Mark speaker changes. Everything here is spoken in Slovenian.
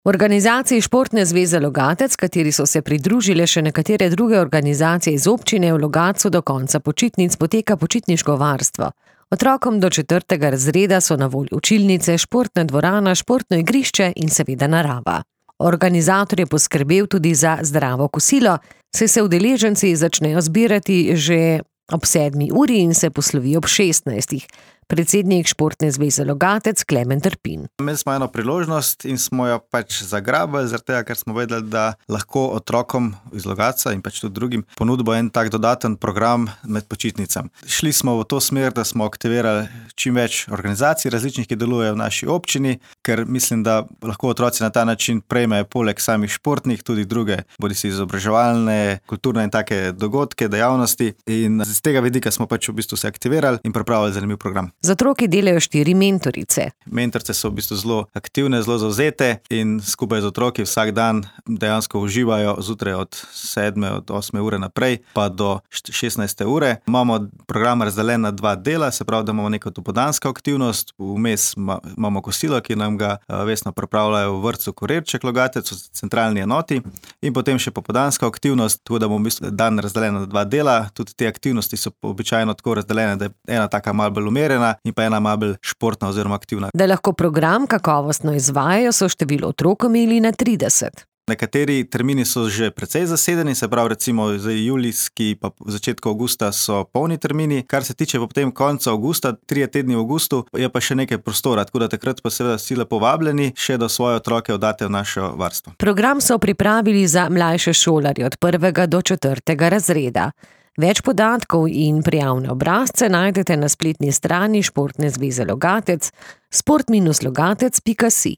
Speaker 1: V organizaciji Športne zveze Logatec, kateri so se pridružile še nekatere druge organizacije iz občine, v Logatcu do konca počitnic poteka počitniško varstvo. Otrokom do 4. razreda so na voljo učilnice, športna dvorana, športno igrišče in seveda narava. Organizator je poskrbel tudi za zdravo kosilo, saj se udeleženci začnejo zbirati že ob 7. uri in se poslovijo ob 16. Predsednik Športne zveze Logatec Klemen Trpin.
Speaker 2: Imeli smo eno priložnost in smo jo zagrabili, zaradi tega, ker smo vedeli, da lahko otrokom iz Logatca in tudi drugim ponudimo en tak dodaten program med počitnicami. Šli smo v to smer, da smo aktivirali čim več organizacij različnih, ki delujejo v naši občini, ker mislim, da lahko otroci na ta način prejmejo poleg samih športnih tudi druge, bodisi izobraževalne, kulturne in take dogodke, dejavnosti, in z tega vidika smo v bistvu se aktivirali in pripravili zanimiv program.
Speaker 1: Z otroki delajo 4 mentorice.
Speaker 2: Mentorice so v bistvu zelo aktivne, zelo zavzete in skupaj z otroki vsak dan dejansko uživajo zjutraj od 7. od 8. ure naprej pa do 16. ure. Imamo program razdeljen na 2 dela, se pravi, da imamo neko dopoldansko aktivnost, vmes imamo kosilo, ki nam ga vestno pripravljajo v vrtcu Korerček Logatec, v centralni enoti, in potem še popoldanska aktivnost, tako da bomo v bistvu dan razdeljen na 2 dela. Tudi te aktivnosti so običajno tako razdeljene, da je ena taka malo bolj umirjena in pa ena malo bolj športna oziroma aktivna.
Speaker 1: Da lahko program kakovostno izvajajo, so število otrok omejili na 30.
Speaker 2: Nekateri termini so že precej zasedeni, se pravi recimo julijski pa v začetku avgusta so polni termini. Kar se tiče potem konca avgusta, 3 tedni v avgustu, je pa še nekaj prostora, tako da takrat pa seveda vsi lepo povabljeni še, da svoje otroke oddate v naše varstvo.
Speaker 1: Program so pripravili za mlajše šolarje od 1. do 4. razreda. Več podatkov in prijavne obrazce najdete na spletni strani Športne zveze Logatec sport-logatec.si.